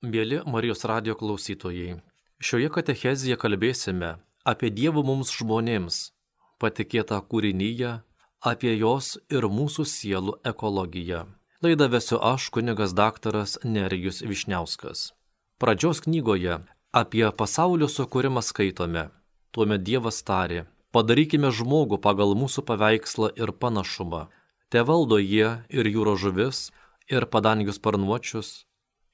Mėly Marijos radijo klausytojai, šioje katechezėje kalbėsime apie Dievo mums žmonėms patikėtą kūrinyje, apie jos ir mūsų sielų ekologiją. Laidą vesiu aš, kunigas daktaras Nerijus Vyšniauskas. Pradžios knygoje apie pasaulio sukūrimą skaitome. Tuomet Dievas tarė: padarykime žmogų pagal mūsų paveikslą ir panašumą. Te valdo jie ir jūros žuvis, ir padangių sparnuočius,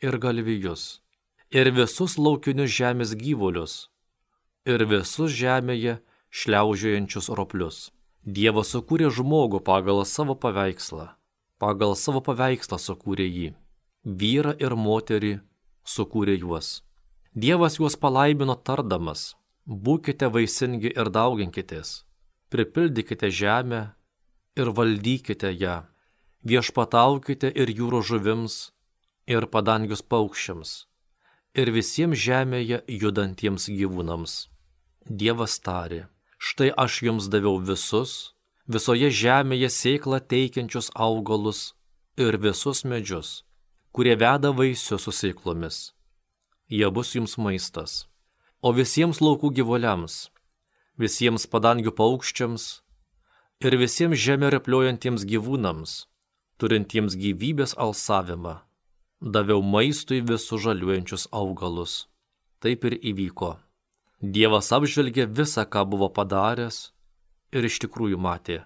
ir galvijus, ir visus laukinius žemės gyvulius, ir visus žemėje šliaužiojančius roplius. Dievas sukūrė žmogų pagal savo paveikslą. Pagal savo paveikslą sukūrė jį. Vyrą ir moterį sukūrė juos. Dievas juos palaimino tardamas: būkite vaisingi ir dauginkitės, pripildykite žemę ir valdykite ją, viešpataukite ir jūros žuvims, ir padangius paukščiams, ir visiems žemėje judantiems gyvūnams. Dievas tarė: štai aš jums daviau visoje žemėje sėklą teikiančius augalus ir visus medžius, kurie veda vaisius su sėklomis. Jie bus jums maistas. O visiems laukų gyvuliams, visiems padangių paukščiams ir visiems žemė repliuojantiems gyvūnams, turintiems gyvybės alsavimą, daviau maistui visus žaliuojančius augalus. Taip ir įvyko. Dievas apžvelgė visą, ką buvo padaręs, ir iš tikrųjų matė,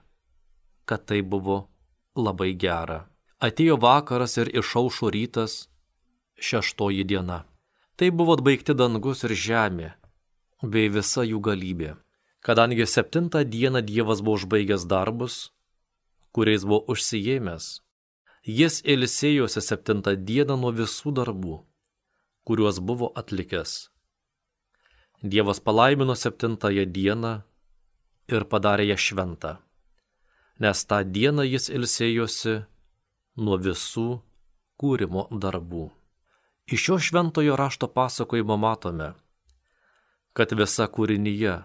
kad tai buvo labai gera. Atėjo vakaras ir išaušo rytas, 6 diena. Tai buvo atbaigti dangus ir žemė, bei visa jų galybė. Kadangi 7 dieną Dievas buvo užbaigęs darbus, kuriais buvo užsiėmęs, jis ilsėjosi 7 dieną nuo visų darbų, kuriuos buvo atlikęs. Dievas palaimino 7 dieną ir padarė ją šventą, nes tą dieną jis ilsėjosi nuo visų kūrimo darbų. Iš šio šventojo rašto pasakojimo matome, kad visa kūrinyje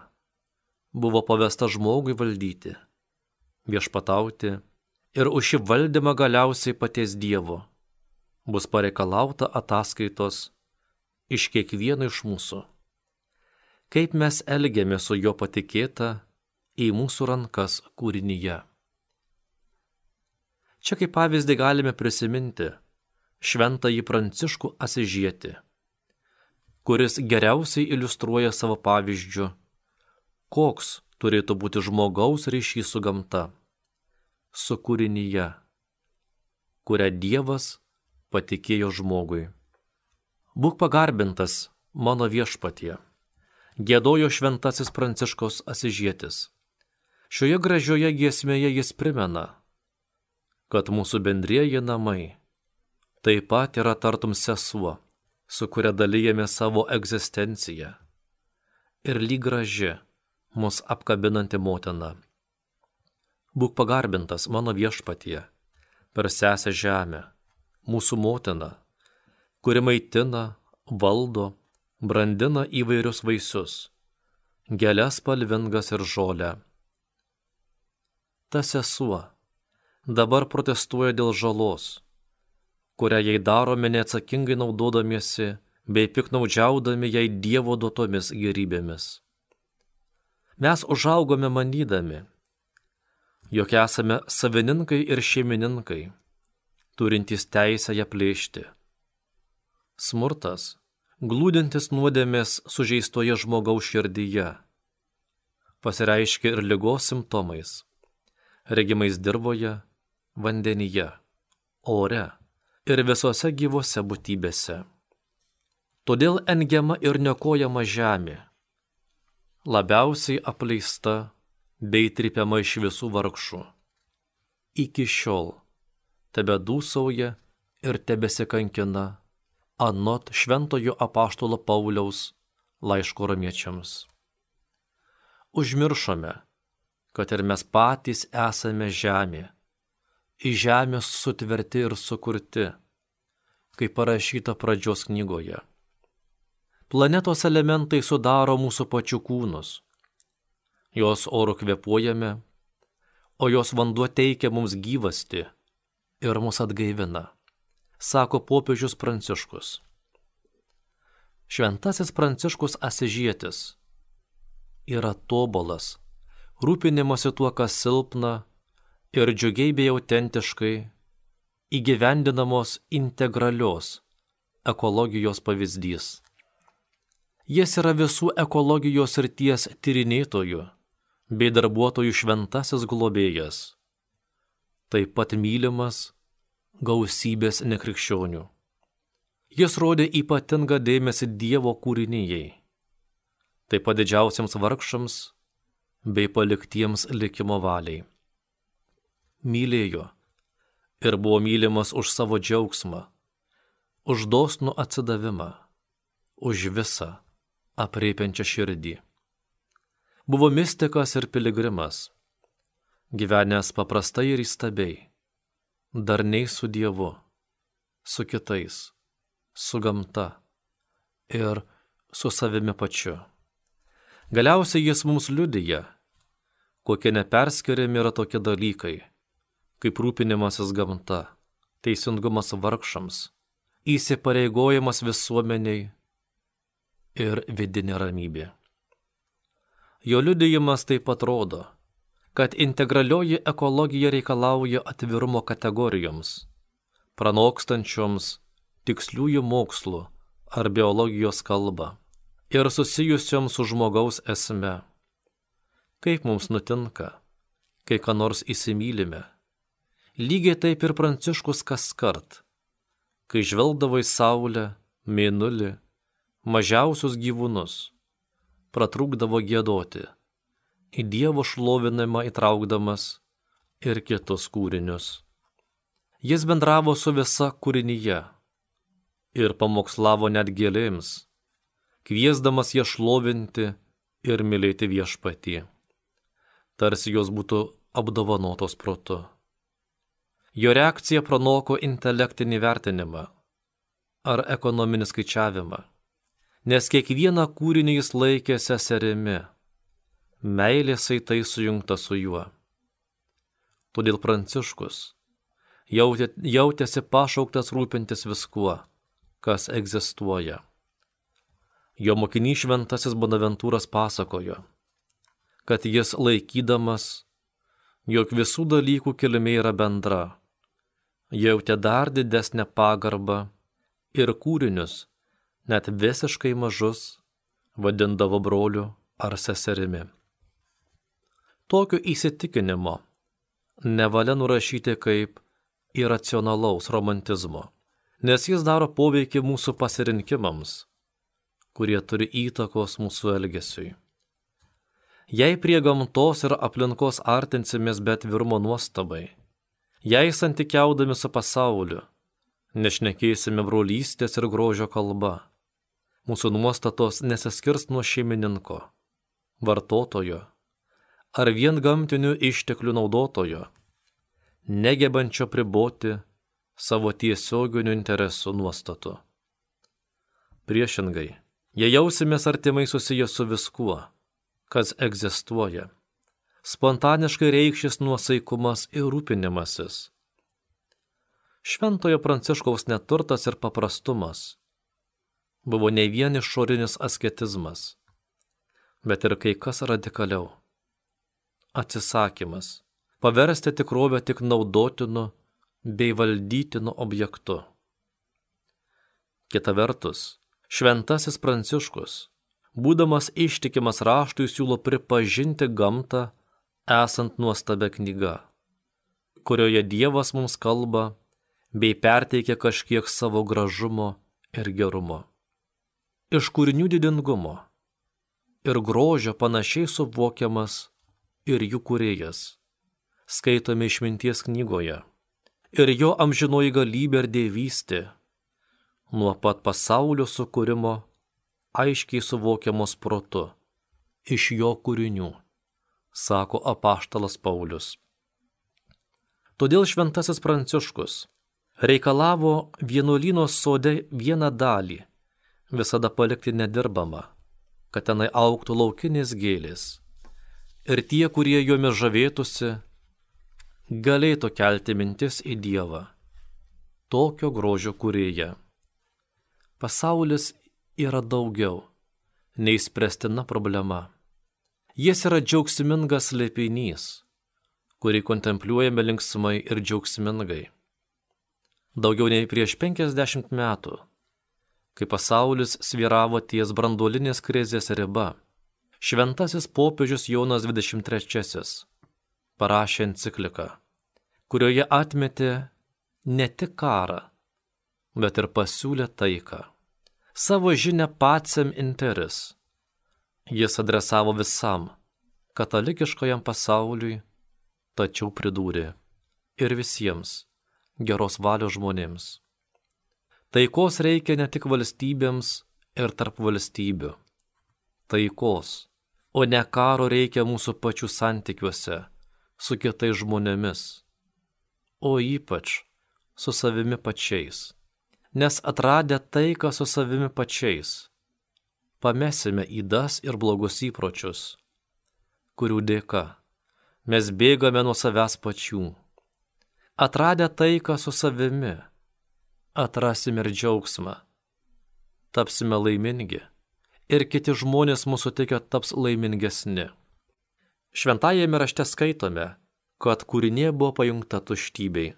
buvo pavesta žmogui valdyti, viešpatauti, ir už šį valdymą galiausiai paties Dievo bus pareikalauta ataskaitos iš kiekvieno iš mūsų. Kaip mes elgiamės su jo patikėta į mūsų rankas kūrinyje. Čia kaip pavyzdį galime prisiminti šventąjį Pranciškų Asyžietį, kuris geriausiai iliustruoja savo pavyzdžiu, koks turėtų būti žmogaus ryšys su gamta, su kūrinyje, kurią Dievas patikėjo žmogui. Būk pagarbintas, mano viešpatie, giedojo šventasis Pranciškus Asyžietis. Šioje gražioje giesmėje jis primena, kad mūsų bendrieji namai taip pat yra tartum sesuo, su kuria dalijame savo egzistenciją, ir lyg graži, mus apkabinanti motina. Būk pagarbintas, mano viešpatie, per sesę žemę, mūsų motina, kuri maitina, valdo, brandina įvairius vaisius, gėles spalvingas ir žolę. Ta sesuo dabar protestuoja dėl žalos, kurią jai darome neatsakingai naudodamiesi bei piknaudžiaudami jai Dievo duotomis gėrybėmis. Mes užaugome manydami, jog esame savininkai ir šeimininkai, turintys teisę ją plėšti. Smurtas, glūdintis nuodėmės sužeistoje žmogaus širdyje, pasireiškia ir ligos simptomais, regimais dirvoje, vandenyje, ore ir visose gyvose būtybėse. Todėl engiama ir niokojama žemė, labiausiai apleista bei trypiama iš visų vargšų. Iki šiol tebedūsauja ir tebesikankina anot šventojo apaštalo Pauliaus laiško romiečiams. Užmiršome, kad ir mes patys esame žemė, į žemės sutverti ir sukurti, kaip parašyta pradžios knygoje. Planetos elementai sudaro mūsų pačių kūnus. Jos oru kvėpuojame, o jos vanduo teikia mums gyvastį ir mus atgaivina, sako popiežius Pranciškus. Šventasis Pranciškus Asižietis yra tobulas, rūpinimasi tuo, kas silpna ir džiugiai bei autentiškai įgyvendinamos integralios ekologijos pavyzdys. Jis yra visų ekologijos srities tyrinėtojų bei darbuotojų šventasis globėjas, taip pat mylimas gausybės nekrikščionių. Jis rodė ypatingą dėmesį Dievo kūrinijai, taip pat didžiausiams vargšams bei paliktiems likimo valiai. Mylėjo ir buvo mylimas už savo džiaugsmą, už dosnų atsidavimą, už visą aprėpiančią širdį. Buvo mistikas ir piligrimas, gyvenęs paprastai ir įstabiai, darniai su Dievu, su kitais, su gamta ir su savimi pačiu. Galiausiai jis mums liudija, kokie neperskiriami yra tokie dalykai, kaip rūpinimasis gamta, teisingumas vargšams, įsipareigojimas visuomeniai ir vidinė ramybė. Jo liudijimas taip pat rodo, kad integralioji ekologija reikalauja atvirumo kategorijoms, pranokstančioms tiksliųjų mokslų ar biologijos kalbą ir susijusioms su žmogaus esme. Kaip mums nutinka, kai ką nors įsimylime, lygiai taip ir Pranciškus kaskart, kai žvelgdavo į saulę, mėnulį, mažiausius gyvūnus, pratrūkdavo giedoti, į Dievo šlovinimą įtraukdamas ir kitus kūrinius. Jis bendravo su visa kūrinyje ir pamokslavo net gėlėms, kviesdamas ją šlovinti ir mylėti Viešpatį, tarsi jos būtų apdovanotos protu. Jo reakcija pranoko intelektinį vertinimą ar ekonominį skaičiavimą, nes kiekvieną kūrinį jis laikė seserimi, meilės saitai sujungta su juo. Todėl Pranciškus jautėsi pašauktas rūpintis viskuo, kas egzistuoja. Jo mokinys šventasis Bonaventūras pasakojo, kad jis laikydamas, jog visų dalykų kilmė yra bendra, jautė dar didesnę pagarbą ir kūrinius, net visiškai mažus, vadindavo broliu ar seserimi. Tokio įsitikinimo nevalia nurašyti kaip iracionalaus romantizmo, nes jis daro poveikį mūsų pasirinkimams, kurie turi įtakos mūsų elgesiui. Jei prie gamtos ir aplinkos artinsimės be atvirumo nuostabai, jei santykiaudami su pasauliu, nešnekėsime brolystės ir grožio kalba, mūsų nuostatos nesiskirs nuo šeimininko, vartotojo ar vien gamtinių išteklių naudotojo, negebančio priboti savo tiesioginių interesų nuostatų. Priešingai, jei jausimės artimai susiję su viskuo, kas egzistuoja, spontaniškai reikšis nuosaikumas ir rūpinimasis. Šventojo Pranciškaus neturtas ir paprastumas buvo ne vien išorinis asketizmas, bet ir kai kas radikaliau. Atsisakymas paversti tikrovę tik naudotinu bei valdytinu objektu. Kita vertus, šventasis Pranciškus, būdamas ištikimas raštui, siūlo pripažinti gamtą esant nuostabia knyga, kurioje Dievas mums kalba bei perteikia kažkiek savo gražumo ir gerumo. Iš kūrinių didingumo ir grožio panašiai suvokiamas ir jų kūrėjas, skaitome išminties knygoje, ir jo amžinoji galybė ir dievystė, nuo pat pasaulio sukūrimo aiškiai suvokiamos protu, iš jo kūrinių, sako apaštalas Paulius. Todėl šventasis Pranciškus reikalavo vienuolyno sode vieną dalį visada palikti nedirbamą, kad tenai augtų laukinės gėlės, ir tie, kurie jomis žavėtųsi, galėtų kelti mintis į Dievą, tokio grožio kūrėją. Pasaulis yra daugiau nei spręstina problema. Jis yra džiaugsmingas slėpinys, kurį kontempliuojame linksmai ir džiaugsmingai. Daugiau nei prieš 50 metų, kai pasaulis svyravo ties branduolinės krizės riba, šventasis popiežius Jonas XXIII parašė encikliką, kurioje atmetė ne tik karą, bet ir pasiūlė taiką. Savo žinią Pacem Interis jis adresavo visam katalikiškajam pasauliui, tačiau pridūrė ir visiems geros valios žmonėms. Taikos reikia ne tik valstybėms ir tarp valstybių. Taikos, o ne karo reikia mūsų pačių santykiuose su kitais žmonėmis, o ypač su savimi pačiais. Nes atradę taiką su savimi pačiais, pamesime ydas ir blogus įpročius, kurių dėka mes bėgame nuo savęs pačių. Atradę taiką su savimi, atrasime ir džiaugsmą, tapsime laimingi ir kiti žmonės mūsų tikę taps laimingesni. Šventajame rašte skaitome, kad kūrinė buvo pajungta tuštybei,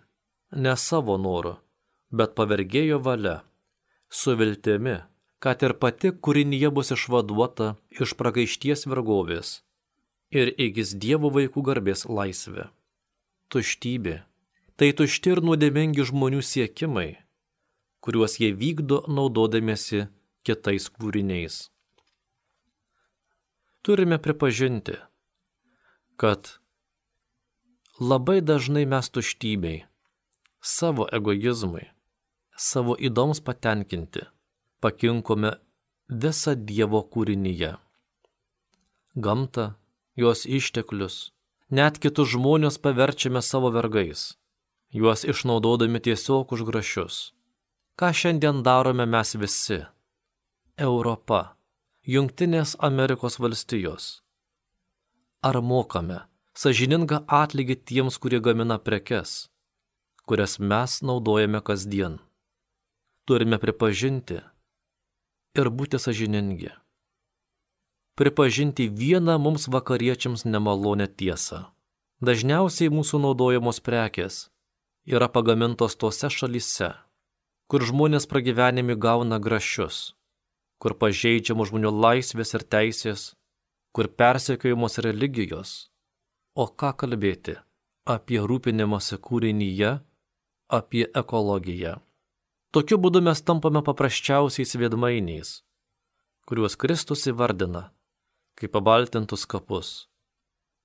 ne savo noru, bet pavergėjo valia, su viltimi, kad ir pati kūrinyje bus išvaduota iš pragaišties vergovės ir įgis Dievo vaikų garbės laisvę. Tuštybė – tai tušti ir nuodėmingi žmonių siekimai, kuriuos jie vykdo naudodamiesi kitais kūriniais. Turime pripažinti, kad labai dažnai mes tuštybei, savo egoizmui, savo įdoms patenkinti, pakinkome visą Dievo kūrinyje. Gamtą, jos išteklius, net kitus žmonės paverčiame savo vergais, juos išnaudodami tiesiog už grašius. Ką šiandien darome mes visi? Europa, Jungtinės Amerikos valstijos. Ar mokame sąžiningą atlygį tiems, kurie gamina prekes, kurias mes naudojame kasdien? Turime pripažinti ir būti sąžiningi. Pripažinti vieną mums vakariečiams nemalonę tiesą. Dažniausiai mūsų naudojamos prekės yra pagamintos tose šalyse, kur žmonės pragyvenimi gauna grašius, kur pažeidžiamos žmonių laisvės ir teisės, kur persekiojamos religijos. O ką kalbėti apie rūpinimąsi kūrinyje, apie ekologiją? Tokiu būdu mes tampame paprasčiausiais veidmainiais, kuriuos Kristus įvardina kaip pabaltintus kapus,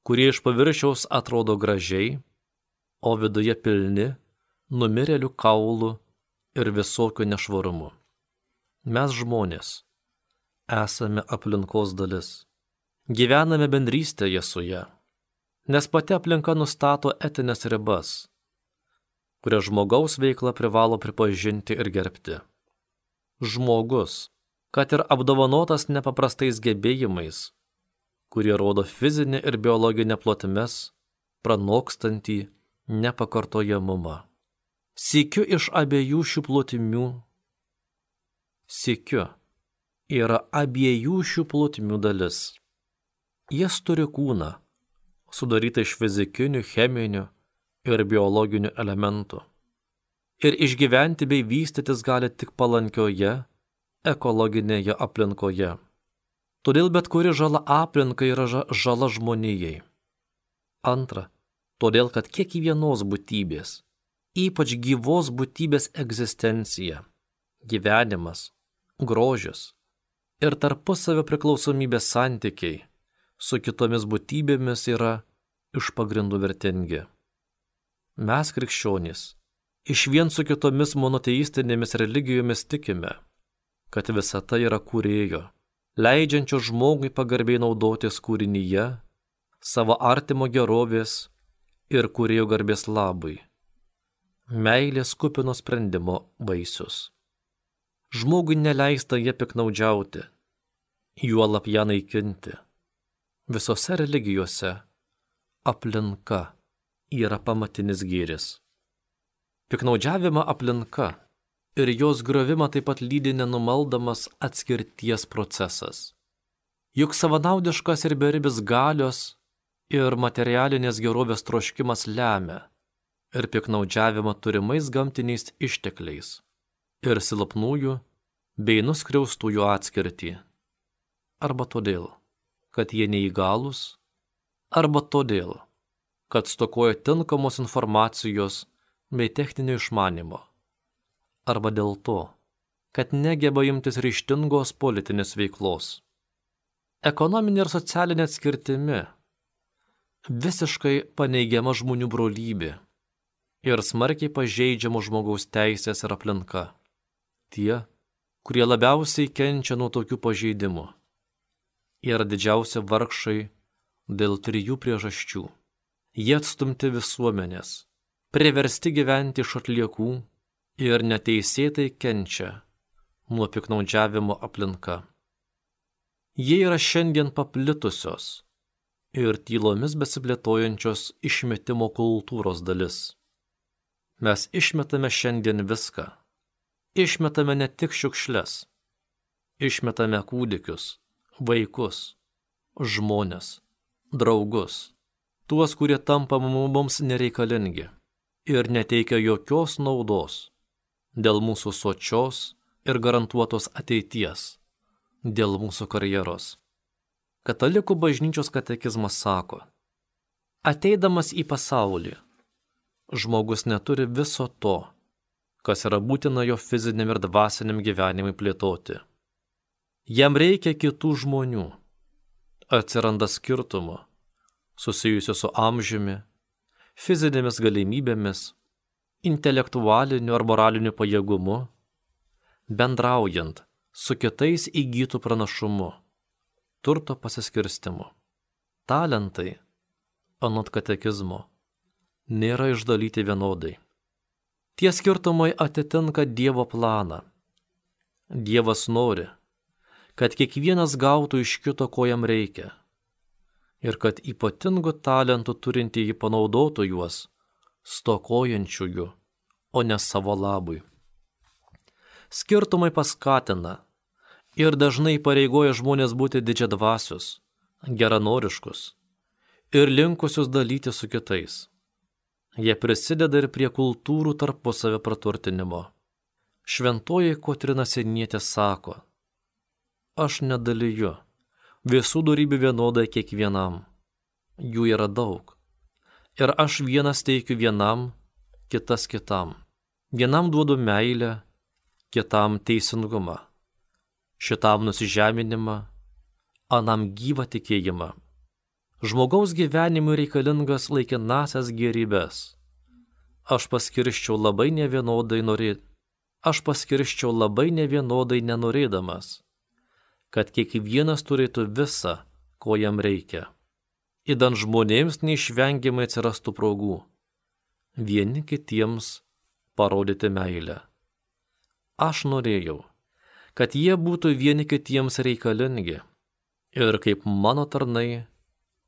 kurie iš paviršiaus atrodo gražiai, o viduje pilni numirėlių kaulų ir visokių nešvarumų. Mes žmonės esame aplinkos dalis, gyvename bendrystėje su ja, nes pati aplinka nustato etinės ribas, kurias žmogaus veikla privalo pripažinti ir gerbti. Žmogus, kad ir apdovanotas nepaprastais gebėjimais, kurie rodo fizinę ir biologinę plotmes, pranokstantį nepakartojamumą. Sykiu iš abiejų šių plotmių, yra abiejų šių plotmių dalis. Jis turi kūną, sudarytą iš fizikinių, cheminių ir biologinių elementų. Ir išgyventi bei vystytis gali tik palankioje, ekologinėje aplinkoje. Todėl bet kuri žala aplinkai yra žala žmonijai. Antra, todėl kad kiekvienos būtybės, ypač gyvos būtybės egzistencija, gyvenimas, grožis ir tarpusavio priklausomybės santykiai su kitomis būtybėmis yra iš pagrindų vertingi. Mes, krikščionys, išvien su kitomis monoteistinėmis religijomis tikime, kad visata yra kūrėjo, leidžiančio žmogui pagarbiai naudotis kūrinyje, savo artimo gerovės ir kūrėjo garbės labui. Meilės kupino sprendimo vaisius. Žmogui neleista jie piknaudžiauti, juolab ją naikinti. Visose religijose aplinka yra pamatinis gėris. Piknaudžiavimą aplinka ir jos griovimą taip pat lydi nenumaldamas atskirties procesas. Juk savanaudiškas ir beribis galios ir materialinės gerovės troškimas lemia ir piknaudžiavimą turimais gamtiniais ištekliais ir silpnųjų bei nuskriaustųjų atskirtį. Arba todėl, kad jie neįgalūs, arba todėl, kad stokoja tinkamos informacijos bei techninio išmanimo, arba dėl to, kad negeba imtis ryžtingos politinės veiklos. Ekonominė ir socialinė atskirtimi visiškai paneigiama žmonių brolybė ir smarkiai pažeidžiamo žmogaus teisės ir aplinka. Tie, kurie labiausiai kenčia nuo tokių pažeidimų, yra didžiausi vargšai dėl 3 priežasčių. Jie atstumti visuomenės, priversti gyventi iš atliekų ir neteisėtai kenčia nuo piknaudžiavimo aplinka. Jie yra šiandien paplitusios ir tylomis besiplėtojančios išmetimo kultūros dalis. Mes išmetame šiandien viską. Išmetame ne tik šiukšles. Išmetame kūdikius, vaikus, žmones, draugus, tuos, kurie tampa mums nereikalingi ir neteikia jokios naudos dėl mūsų sočios ir garantuotos ateities, dėl mūsų karjeros. Katalikų bažnyčios katekizmas sako, ateidamas į pasaulį, žmogus neturi viso to, kas yra būtina jo fiziniam ir dvasiniam gyvenimui plėtoti. Jam reikia kitų žmonių. Atsiranda skirtumų, susijusių su amžiumi, fizinėmis galimybėmis, intelektualiniu ar moraliniu pajėgumu, bendraujant su kitais įgytų pranašumu, turto pasiskirstimu. Talentai, anot katekizmo, nėra išdalyti vienodai. Tie skirtumai atitinka Dievo planą. Dievas nori, kad kiekvienas gautų iš kito, ko jam reikia, ir kad ypatingų talentų turintieji panaudotų juos stokojančiųjų, o ne savo labui. Skirtumai paskatina ir dažnai pareigoja žmonės būti didžiadvasius, geranoriškus ir linkusius dalyti su kitais. Jie prisideda ir prie kultūrų tarpusavio praturtinimo. Šventoji Kotryna Sienietė sako, aš nedaliju visų dorybių vienodai kiekvienam. Jų yra daug. Ir aš vienas teikiu vienam, kitas kitam. Vienam duodu meilę, kitam teisingumą. Šitam nusižeminimą, anam gyvą tikėjimą. Žmogaus gyvenimui reikalingas laikinasias gėrybes. Aš paskirščiau labai nevienodai nenorėdamas, kad kiekvienas turėtų visą, ko jam reikia. Idant žmonėms neišvengiamai atsirastų progų vieni kitiems parodyti meilę. Aš norėjau, kad jie būtų vieni kitiems reikalingi ir kaip mano tarnai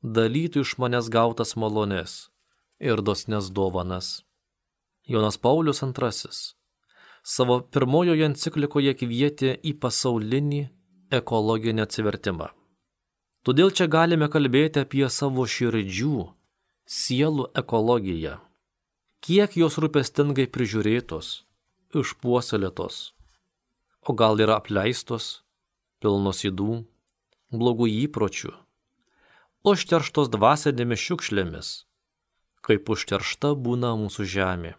dalytų iš manęs gautas malones ir dosnes dovanas. Jonas Paulius II savo pirmojoje enciklikoje kvietė į pasaulinį ekologinį atsivertimą. Todėl čia galime kalbėti apie savo širdžių, sielų ekologiją. Kiek jos rūpestingai prižiūrėtos, išpuoselėtos, o gal yra apleistos, pilnos ydų, blogų įpročių, užterštos dvasinėmis šiukšlėmis, kaip užteršta būna mūsų žemė.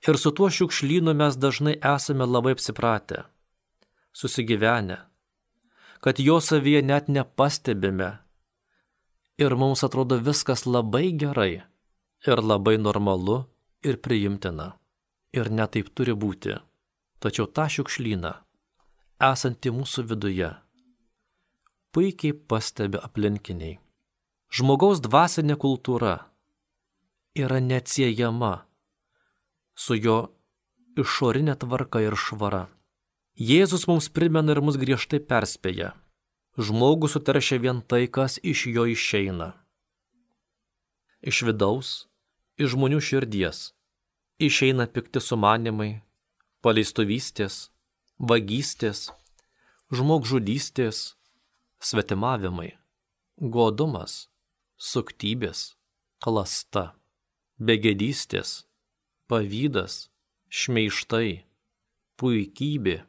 Ir su tuo šiukšlynu mes dažnai esame labai apsipratę, susigyvenę, kad jo savyje net nepastebime ir mums atrodo viskas labai gerai ir labai normalu ir priimtina. Ir net taip turi būti. Tačiau tą šiukšlyną, esantį mūsų viduje, puikiai pastebi aplinkiniai. Žmogaus dvasinė kultūra yra neatsiejama su jo išorinė tvarka ir švara. Jėzus mums primena ir mus griežtai perspėja. Žmogų suteršia vien tai, kas iš jo išeina. Iš vidaus, iš žmonių širdies, išeina pikti sumanimai, paleistuvystės, vagystės, žmogžudystės, svetimavimai, godumas, suktybės, klasta, begėdystės, pavydas, šmeižtai, puikybė,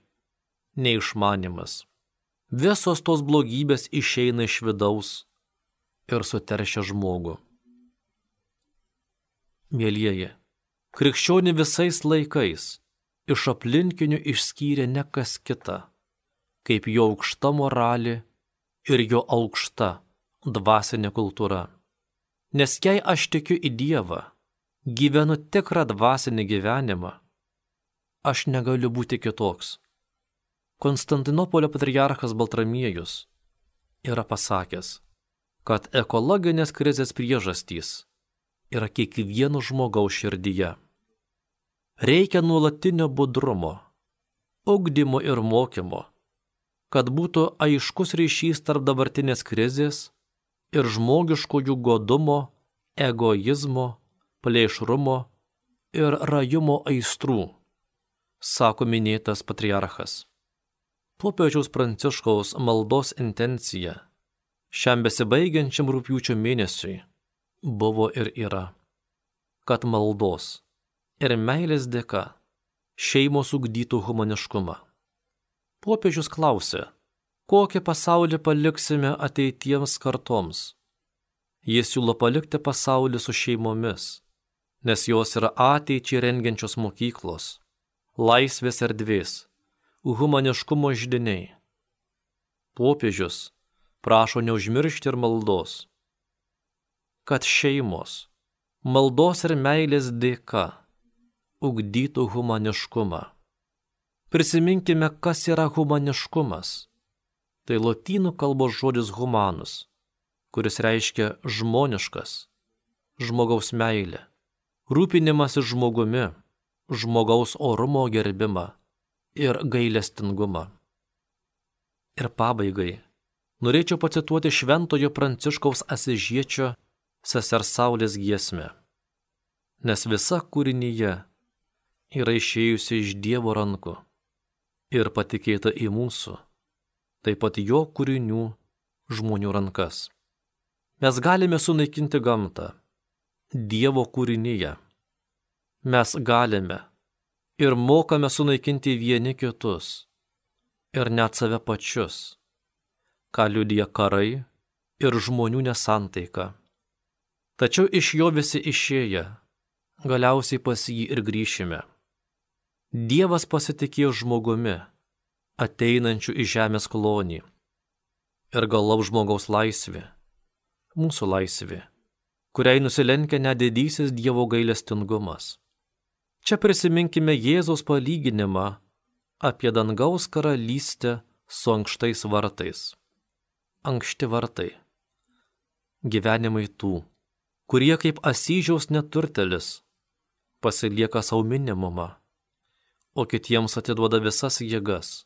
neišmanimas. Visos tos blogybės išeina iš vidaus ir suteršia žmogų. Mielieji, krikščionį visais laikais iš aplinkinių išskyrė ne kas kita, kaip jo aukšta moralė ir jo aukšta dvasinė kultūra. Nes jei aš tikiu į Dievą, gyvenu tikrą dvasinį gyvenimą, aš negaliu būti kitoks. Konstantinopolio patriarchas Baltramiejus yra pasakęs, kad ekologinės krizės priežastys yra kiekvieno žmogaus širdyje. Reikia nuolatinio budrumo, ugdymo ir mokymo, kad būtų aiškus ryšys tarp dabartinės krizės ir žmogiškojų godumo, egoizmo, plėšrumo ir rajumo aistrų, sako minėtas patriarchas. Popiežiaus Pranciškaus maldos intencija šiam besibaigiančiam rugpjūčio mėnesiui buvo ir yra, kad maldos ir meilės dėka šeimos ugdytų humaniškumą. Popiežius klausė, kokį pasaulį paliksime ateitiems kartoms. Jis siūlo palikti pasaulį su šeimomis, nes jos yra ateičiai rengiančios mokyklos, laisvės erdvės, humaniškumo židiniai. Popiežius prašo neužmiršti ir maldos, kad šeimos, maldos ir meilės dėka ugdytų humaniškumą. Prisiminkime, kas yra humaniškumas. Tai lotynų kalbos žodis humanus, kuris reiškia žmoniškas, žmogaus meilė, rūpinimasis žmogumi, žmogaus orumo gerbimą ir gailestingumą. Ir pabaigai norėčiau pacituoti šventojo Pranciškaus Asižiečio sesers Saulės giesmę, nes visa kūrinyje yra išėjusi iš Dievo rankų ir patikėta į mūsų, taip pat jo kūrinių žmonių rankas. Mes galime sunaikinti gamtą, Dievo kūrinyje. Mes galime ir mokame sunaikinti vieni kitus ir net save pačius, ką liudija karai ir žmonių nesantaika. Tačiau iš jo visi išėję, galiausiai pas jį ir grįšime. Dievas pasitikėjo žmogumi, ateinančiu į žemės klonį. Ir galop žmogaus laisvė, mūsų laisvė, kuriai nusilenkia net didysis Dievo gailestingumas. Čia prisiminkime Jėzaus palyginimą apie dangaus karalystę su ankštais vartais. Ankšti vartai. Gyvenimai tų, kurie kaip Asyžiaus neturtelis pasilieka sau minimumą, o kitiems atiduoda visas jėgas,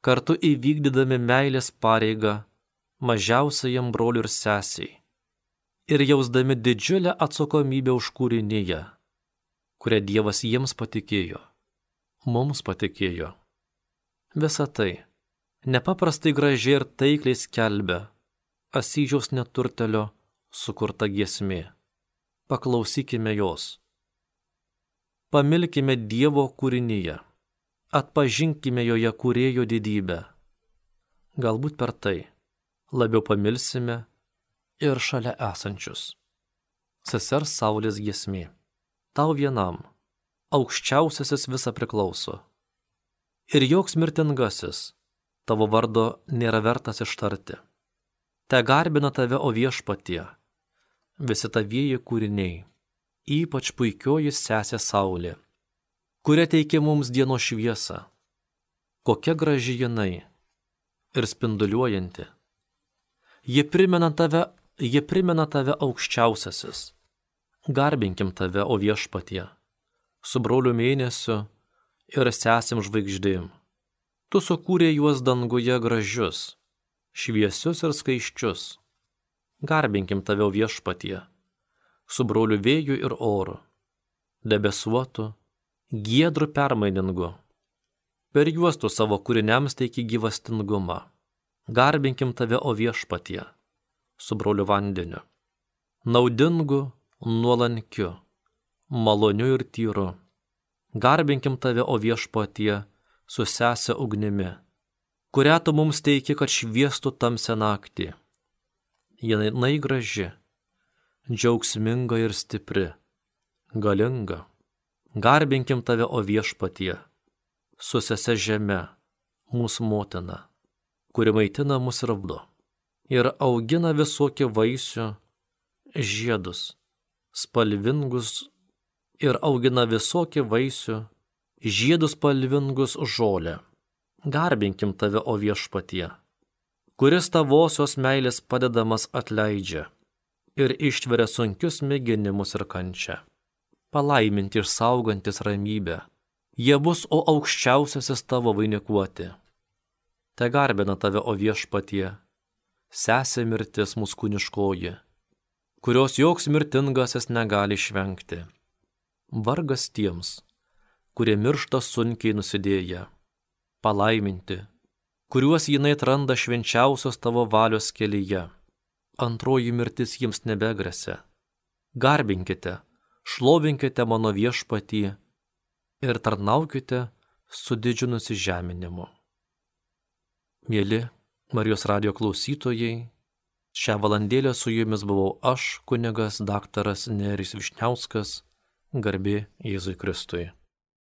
kartu įvykdydami meilės pareigą mažiausiajam broliui ir sesiai ir jausdami didžiulę atsakomybę už kūriniją, kurią Dievas jiems patikėjo, mums patikėjo. Visa tai nepaprastai gražiai ir taikliai skelbia Asyžiaus neturtelio sukurta giesmė. Paklausykime jos. Pamilkime Dievo kūrinyje, atpažinkime joje kūrėjo didybę. Galbūt per tai labiau pamilsime ir šalia esančius. Sesers Saulės giesmė. Tau vienam, aukščiausiasis visa priklauso. Ir joks mirtingasis tavo vardo nėra vertas ištarti. Te garbina tave, o Viešpatie, visi tavieji kūriniai, ypač puikioji sesė Saulė, kuria teikia mums dienos šviesą. Kokia graži jinai ir spinduliuojanti. Ji primena tave aukščiausiasis. Garbinkim tave, o Viešpatie, su broliu mėnesiu ir sesėm žvaigždėm. Tu sukūrė juos danguje gražius, šviesius ir skaiščius. Garbinkim tave, o Viešpatie, su broliu vėju ir oru, debesuotu, giedru permainingu, Per juos tu savo kūriniams teiki gyvastingumą. Garbinkim tave, o Viešpatie, su broliu vandeniu, naudingu, nuolankiu, maloniu ir tyru. Garbinkim tave, o Viešpatie, su sese ugnimi, kurią tu mums teiki, kad šviestų tamsią naktį. Jinai graži, džiaugsminga ir stipri, galinga. Garbinkim tave, o Viešpatie, su sese žeme, mūsų motina, kuri maitina mus ir apdo ir augina visokį vaisių, žiedus, spalvingus ir augina visokį vaisių, žiedus spalvingus žolę. Garbinkim tave, o Viešpatie, kuris tavosios meilės padedamas atleidžia ir ištveria sunkius mėginimus ir kančią. Palaiminti ir saugantis ramybę, jie bus, o aukščiausiasis tavo vainikuoti. Te garbina tave, o Viešpatie, sesė mirtis mūsų kūniškoji, kurios joks mirtingasis negali išvengti. Vargas tiems, kurie miršta sunkiai nusidėję, palaiminti, kuriuos jinai atranda švenčiausios tavo valios kelyje. Antroji mirtis jiems nebegresia. Garbinkite, šlovinkite mano Viešpatį ir tarnaukite su didžiu nusižeminimu. Mieli Marijos radijo klausytojai, šią valandėlę su jumis buvau aš, kunigas daktaras Nerijus Vyšniauskas, garbė Jėzui Kristui.